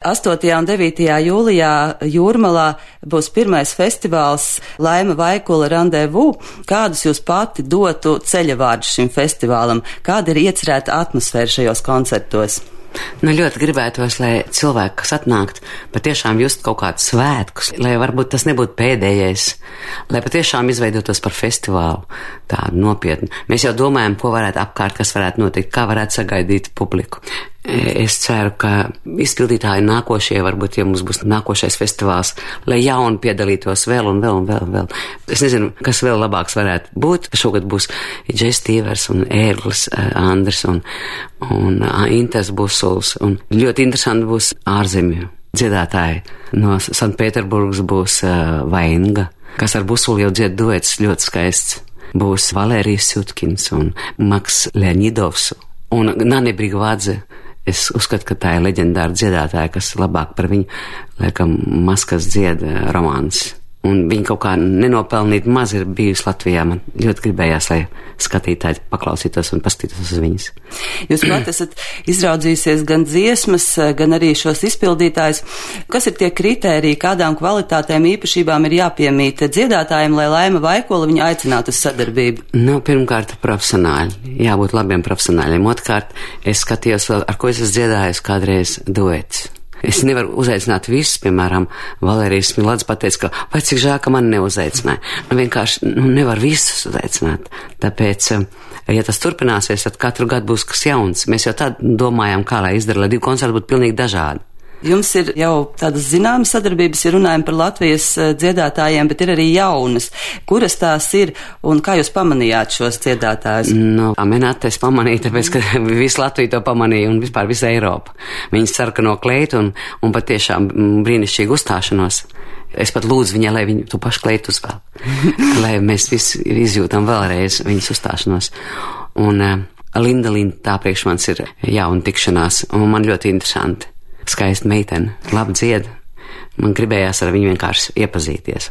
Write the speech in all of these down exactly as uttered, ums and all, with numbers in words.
astotajā un devītajā jūlijā Jūrmalā būs pirmais festivāls Laima Vaikula Randevu. Kādus jūs pati dotu ceļavārdus šim festivālam? Kāda ir iecerēta atmosfēra šajos koncertos? Nu, ļoti gribētos, lai cilvēki, kas atnākt, patiešām just kaut kādus svētkus, lai varbūt tas nebūtu pēdējais, lai patiešām izveidotos par festivālu tādu nopietnu. Mēs jau domājam, ko varētu apkārt, kas varētu notikt, kā varētu sagaidīt publiku. Es ceru, ka izpildītāji nākošie, varbūt, ja mums būs nākošais festivāls, lai jauni piedalītos vēl un vēl un vēl un vēl. Es nezinu, kas vēl labāks varētu būt. Šogad būs Džejs Stīvers un Ērglis Andris un, un Intas Busuls. Un ļoti interesanti būs ārzemju dziedātāji. No Sanktpēterburgas būs uh, Vainga, kas ar Busulu jau dzied duets ļoti skaists. Būs Valērijas Sutkins un Maks Leonidovs un Nani Brigvadze. Es uzskatu, ka tā ir leģendāra dziedātāja, kas labāk par viņu, laikam, maskas dzied romāns. Un viņa kaut kā nenopelnīt maz ir bijusi Latvijā. Man ļoti gribējās, lai skatītāji paklausītos un paskatītos uz viņas. Jūs pat esat izraudzījusies gan dziesmas, gan arī šos izpildītājus. Kas ir tie kritēriji, kādām kvalitātēm īpašībām ir jāpiemīt dziedātājiem, lai Laima Vaikula viņu aicinātu uz sadarbību? Nu, pirmkārt, profesionāļi. Jābūt labiem profesionāļiem. Otkārt, es skatījos vēl, ar ko es esmu dziedājis kādreiz duets. Es nevaru uzaicināt visus, piemēram, Valērijas Smilāds pateica, ka vai cik žēl, ka mani neuzaicināja. Nu, vienkārši nu, nevar visus uzaicināt. Tāpēc, ja tas turpināsies, tad katru gadu būs kas jauns. Mēs jau tā domājām, kā lai izdara, lai divi koncerti būtu pilnīgi dažādi. Jums ir jau tādas zināmas sadarbības, ja runājam par Latvijas dziedātājiem, bet ir arī jaunas. Kuras tās ir un kā jūs pamanījāt šos dziedātājus? Nu, Amenāte es pamanīju, tāpēc, ka visu Latviju to pamanīja un vispār visa Eiropa. Viņas sarkano kleitu un, un patiešām brīnišķīgu uzstāšanos. Es pat lūdzu viņai, lai viņu tu pašu kleitu uzvēl. Lai mēs visi izjūtam vēlreiz viņas uzstāšanos. Un uh, Linda Linda tā priekš mans ir jauna tikšanās un man ļoti interesanti. Skaista meitene, labi dzied. Man gribējās ar viņu vienkārši iepazīties.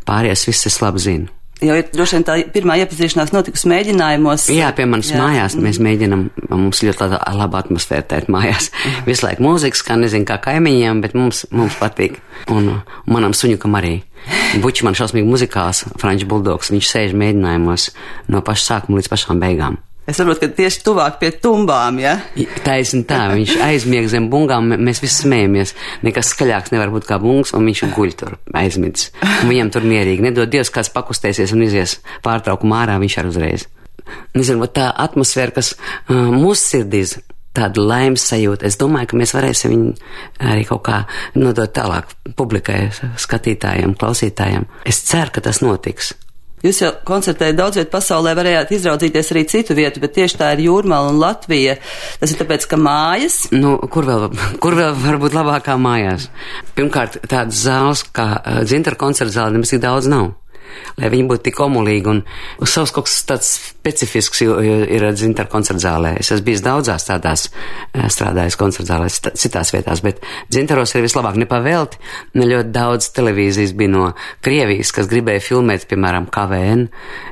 Pārējās viss es labi zinu. Jau ir droši vien tā pirmā iepazīšanās notikusi mēģinājumos. Jā, pie manas jā. Mājās mēs mēģinam, mums ļoti laba atmosfēra tēt mājās. Visu laiku mūzika skan, nezinu kā kaimiņiem, bet mums, mums patīk. Un, un manam suņukam arī. Buči man šausmīgi muzikāls, Frančs Buldogs, viņš sēž mēģinājumos no paša sākuma līdz pašām beigām. Es saprotu, ka tieši tuvāk pie tumbām, ja? Taisni tā, viņš aizmieg zem bungām, mēs visi smējamies. Nekas skaļāks nevar būt kā bungs, un viņš guļ tur aizmidzis. Viņam tur mierīgi. Nedod Dievs, kāds pakustēsies un izies pārtraukumā ārā, viņš ar uzreiz. Nezinu, tā atmosfēra, kas uh, mūsu sirdīs, tāda laimes sajūta. Es domāju, ka mēs varēsim viņu arī kaut kā nodot tālāk publikai, skatītājiem, klausītājiem. Es ceru, ka tas notiks. Jūs jau koncertējat daudz vietu pasaulē, varējāt izraudzīties arī citu vietu, bet tieši tā ir Jūrmala un Latvija. Tas ir tāpēc, ka mājas? Nu, kur vēl, kur vēl var būt labākā mājās? Pirmkārt, tādas zāles kā Dzintara koncerta zāle nemaz tik daudz nav. Lai viņi būtu tik omulīgi un savs kaut kas tāds specifisks ir Dzintara koncerta zālē. Es esmu bijis daudzās tādās strādājis koncerta zālēs, citās vietās, bet Dzintaros ir vislabāk nepavēlti. Ne ļoti daudz televīzijas bija no Krievijas, kas gribēja filmēt, piemēram, K V N.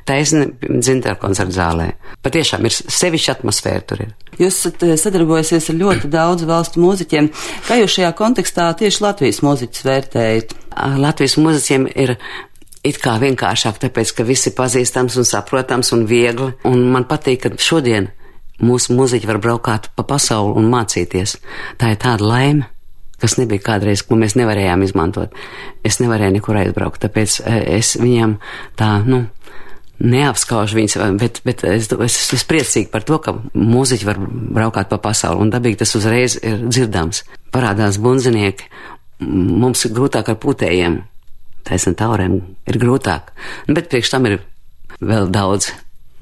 Taisni Dzintara koncerta zālē. Patiešām ir sevišķa atmosfēra tur ir. Jūs esat sadarbojusies ar ļoti daudz valstu mūziķiem. Kā jūs šajā kontekstā tieši Latvijas mūziķus vērtējat? Latvijas mūziķiem ir it kā vienkāršāk, tāpēc, ka visi pazīstams un saprotams un viegli. Un man patīk, ka šodien mūsu muziķi var braukāt pa pasauli un mācīties. Tā ir tāda laime, kas nebija kādreiz, ko mēs nevarējām izmantot. Es nevarēju nekur aizbraukt, tāpēc es viņam tā, nu, neapskaužu viņus, bet, bet es, es esmu priecīgi par to, ka muziķi var braukāt pa pasauli. Un dabīgi tas uzreiz ir dzirdams. Parādās bundzinieki, mums ir grūtāk ar pūtējiem. Taisnām taurēm ir grūtāk, bet priekš tam ir vēl daudz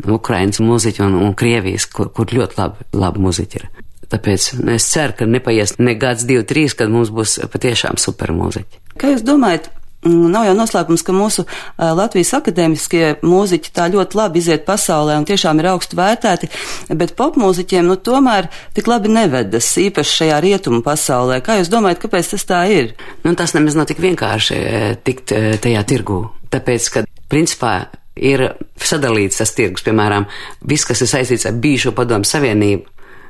Ukrainas mūziķu un, un Krievijas, kur, kur ļoti labi, labi mūziķi ir. Tāpēc es ceru, ka nepaies ne gads, divi, trīs, kad mums būs patiešām super mūziķi. Kā jūs domājat, nav jau noslēpums, ka mūsu Latvijas akadēmiskie mūziķi tā ļoti labi iziet pasaulē un tiešām ir augstu vērtēti, bet popmūziķiem nu tomēr tik labi nevedas, īpaši šajā rietumu pasaulē. Kā jūs domājat, kāpēc tas tā ir? Nu, tas nemaz nav tik vienkārši tikt tajā tirgū, tāpēc, ka principā ir sadalīts tas tirgus, piemēram, viss, kas ir saistīts ar bijušo Padomu Savienību,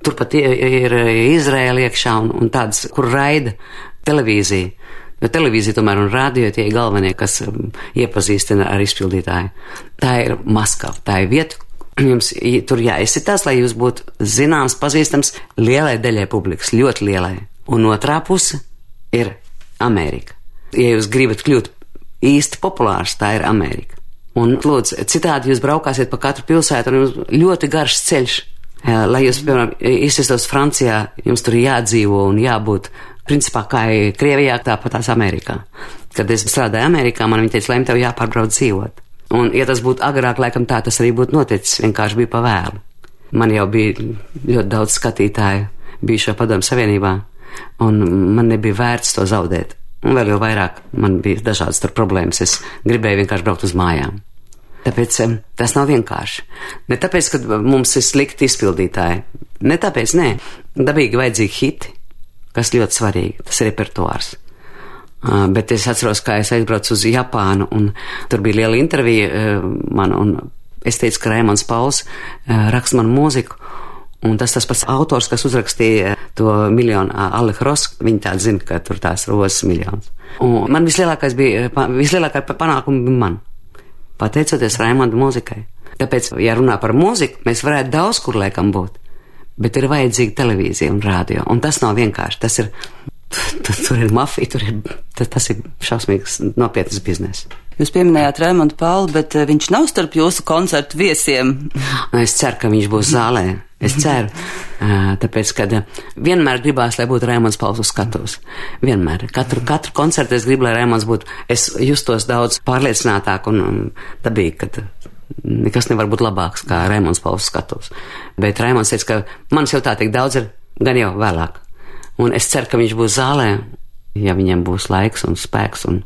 Turpat ir Izraēla iekšā un, un tādas, kur raida televīzija. Jo televīzija tomēr un radio tie ir galvenie, kas iepazīstina ar izpildītāju. Tā ir Maskava, tā ir vieta, jums tur jāizsitās, lai jūs būtu zināms, pazīstams lielai daļai publikas, ļoti lielai. Un otrā puse ir Amerika. Ja jūs gribat kļūt īsti populārs, tā ir Amerika. Un, lūdzu, citādi jūs braukāsiet pa katru pilsētu un jums ļoti garš ceļš. Lai jūs, piemēram, izsistos Francijā, jums tur jādzīvo un jābūt, principā, kā ir Krievijā, tāpat tās Amerikā. Kad es strādāju Amerikā, man viņi teica, lai tev jāpārbrauc dzīvot. Un, ja tas būtu agrāk, laikam tā tas arī būtu noticis, vienkārši bija pavēlu. Man jau bija ļoti daudz skatītāju bijušā Padomju Savienībā, un man nebija vērts to zaudēt. Un vēl jau vairāk man bija dažādas tur problēmas, es gribēju vienkārši braukt uz mājām. Tāpēc tas nav vienkārši. Ne tāpēc, ka mums ir slikti izpildītāji. Ne tāpēc, nē. Dabīgi vajadzīgi hiti, kas ļoti svarīgi. Tas ir repertuārs. Uh, bet es atceros, kā es aizbraucu uz Japānu, un tur bija liela intervija uh, man, un es teicu, ka Raimonds Pauls uh, raksta man mūziku, un tas tas pats autors, kas uzrakstīja to miljonu uh, Alek Ross, viņi tādi zina, ka tur tās rozes miljons. Un man vislielākais bija, vislielākā panākuma bija man. Pateicoties Raimonda mūzikai. Tāpēc, ja runā par mūziku, mēs varētu daudz kur laikam būt, bet ir vajadzīga televīzija un rādio, un tas nav vienkārši, tas ir, tur ir mafija, tur ir, tas ir šausmīgs nopietnas bizness. Jūs pieminējāt Raimondu Paulu, bet viņš nav starp jūsu koncertu viesiem. Es ceru, ka viņš būs zālē. Es ceru, tāpēc, kad vienmēr gribās, lai būtu Raimonds Pauls uz skatuves. Vienmēr. Katru, katru koncertu es gribu, lai Raimonds būtu, es justos daudz pārliecinātāk un, un dabīgi, kad nekas nevar būt labāks kā Raimonds Pauls uz skatuves. Bet Raimonds teica, ka manis jau tā tik daudz ir, gan jau vēlāk. Un es ceru, ka viņš būs zālē, ja viņam būs laiks un spēks un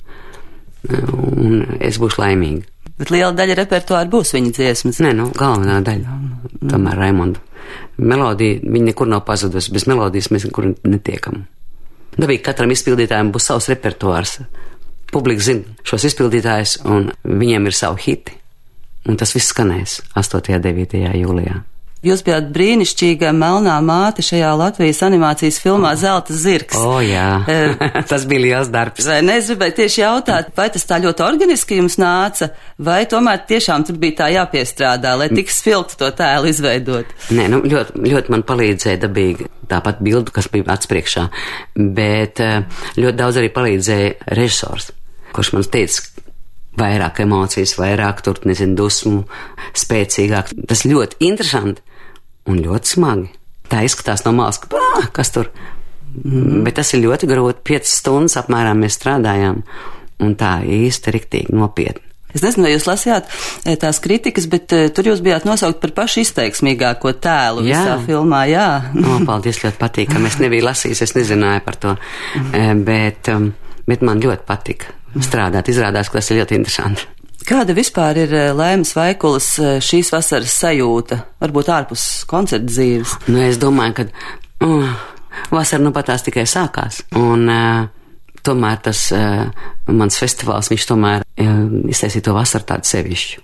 un es būšu laimīga. Bet liela daļa repertuāra būs viņa dziesmas. Nē, nu, galvenā daļa. Tomēr Raimonda. Melodija, viņa nekur nav pazudusi. Bez melodijas mēs nekur netiekam. Dabīgi katram izpildītājiem būs savs repertuārs. Publika zina šos izpildītājus, un viņiem ir savu hiti. Un tas viss skanēs astotajā un devītajā jūlijā. Jūs bijāt brīnišķīga melnā māte šajā Latvijas animācijas filmā Zelta zirgs. O, jā, tas bija liels darbs. Vai ne, es gribēju tieši jautāt, vai tas tā ļoti organiski jums nāca, vai tomēr tiešām tur bija tā jāpiestrādā, lai tik spilgti to tēlu izveidot? Nē, nu, ļoti, ļoti man palīdzēja dabīgi tāpat bildu, kas bija atspriekšā, bet ļoti daudz arī palīdzēja režisors, kurš man teica, vairāk emocijas, vairāk tur, nezinu, dusmu, spēcīgāk. Tas ļoti interesanti un ļoti smagi. Tā izskatās no malas, ka, bā, kas tur? Mm. Bet tas ir ļoti grūti. Piecas stundas apmēram mēs strādājām, un tā īsti riktīgi nopietni. Es nezinu, vai jūs lasījāt tās kritikas, bet uh, tur jūs bijāt nosaukt par pašu izteiksmīgāko tēlu jā. Visā filmā, jā. O, paldies, ļoti patīkami. Es nebiju lasījis, es nezināju par to, mm. bet, um, bet man ļoti patika strādāt. Izrādās, ka tas ir ļoti interesanti. Kāda vispār ir Laimas Vaikulas šīs vasaras sajūta, varbūt ārpus koncerta dzīves? Nu, es domāju, ka uh, vasara nu pat tās tikai sākās, un uh, tomēr tas uh, mans festivāls, viņš tomēr uh, iztaisīja to vasaru tādu sevišķu.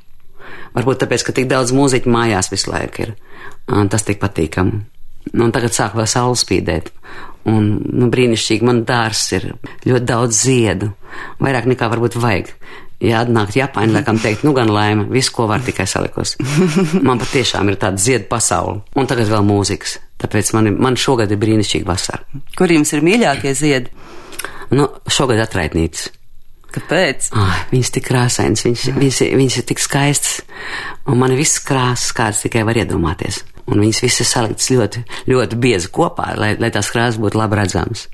Varbūt tāpēc, ka tik daudz mūziķu mājās visu laiku ir, un tas tik patīkami. Un tagad sāk vēl saule spīdēt, un nu, brīnišķīgi, man dārs ir ļoti daudz ziedu, vairāk nekā varbūt vajag. Ja atnākt Japāņi, laikam teikt, nu gan Laima, visu, ko var tikai salikos. Man patiešām ir tāda ziedu pasaule, un tagad vēl mūzikas, tāpēc man, man šogad ir brīnišķīga vasara. Kur jums ir mīļākie ziedi? Nu, šogad atraitnītes. Kāpēc? Oh, viņas tik krāsainas, viņas, viņas, viņas ir tik skaistas, un man ir visas krāsas, kādas tikai var iedomāties. Un viņas visas saliktas ļoti, ļoti biezi kopā, lai, lai tās krāsas būtu labi redzamas.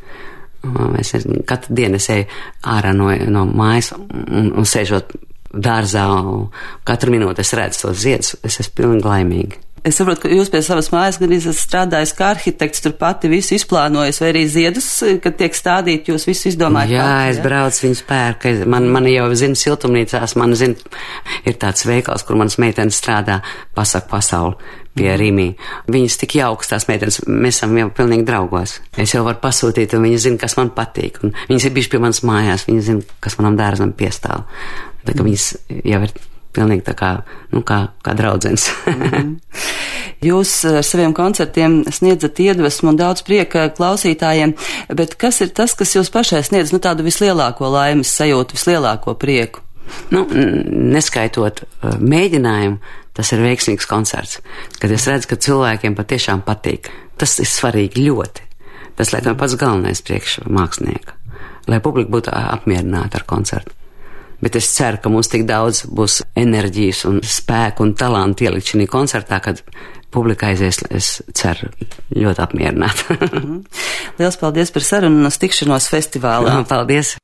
Es katru dienu es eju ārā no, no mājas un, un sēžot dārzā, un katru minūti es redzu tos ziedus, es esmu pilnīgi laimīgi. Es saprotu, ka jūs pie savas mājas gan esat strādājis kā arhitekts, tur pati visu izplānojis, vai arī ziedus, kad tiek stādīti, jūs visu izdomājat? Jā, pati, es ja? braucu viņus pērku, man, man jau zina siltumnīcās, man zina, ir tāds veikals, kur manas meitenes strādā, Pasaku pasauli pie Rīmī. Viņas tik jauks, tās meitenes, mēs esam jau pilnīgi draugos. Es jau varu pasūtīt, un viņi zina, kas man patīk, un viņas ir bijuši pie manas mājās, viņi zina, kas manam dārzam piestāv. Tā kā viņas jau ir pilnīgi tā kā, nu, kā, kā draudzens. Mm-hmm. Jūs ar saviem koncertiem sniedzat iedvesmu un daudz prieka klausītājiem, bet kas ir tas, kas jūs pašai sniedz, nu, tādu vislielāko laimes sajūtu, vislielāko prieku? Nu, neskaitot mēģinājumu, tas ir veiksmīgs koncerts, kad es redzu, ka cilvēkiem patiešām patīk. Tas ir svarīgi ļoti. Tas, lai tā pats galvenais priekš mākslinieka, lai publika būtu apmierināta ar koncertu. Bet es ceru, ka mums tik daudz būs enerģijas un spēku un talantu ielikt šī koncertā, kad publika aizies, es ceru, ļoti apmierināta. Liels paldies par sarunu un uz tikšanos festivālā. Paldies!